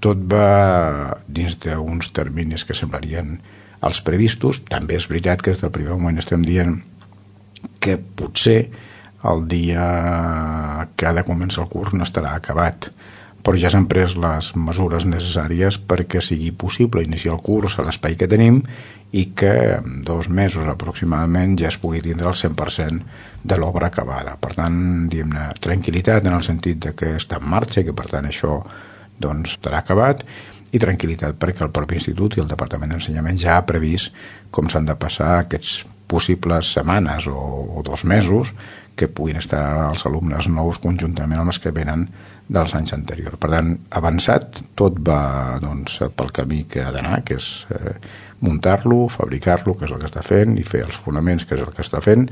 tot va dins d'uns terminis que semblarien els previstos. També és veritat que des del primer moment estem dient que potser el dia que ha de començar el curs no estarà acabat, però ja s'han pres les mesures necessàries perquè sigui possible iniciar el curs a l'espai que tenim i que en 2 mesos aproximadament ja es pugui tindre el 100% de l'obra acabada. Per tant, diguem-ne, tranquil·litat en el sentit de que està en marxa i que per tant això doncs estarà acabat, i tranquil·litat perquè el propi institut i el Departament d'Ensenyament ja ha previst com s'han de passar aquests possibles setmanes o 2 mesos que puguin estar els alumnes nous conjuntament amb els que venen dels anys anteriors. Per tant, avançat, tot va doncs, pel camí que ha d'anar, que és muntar-lo, fabricar-lo, que és el que està fent, i fer els fonaments, que és el que està fent,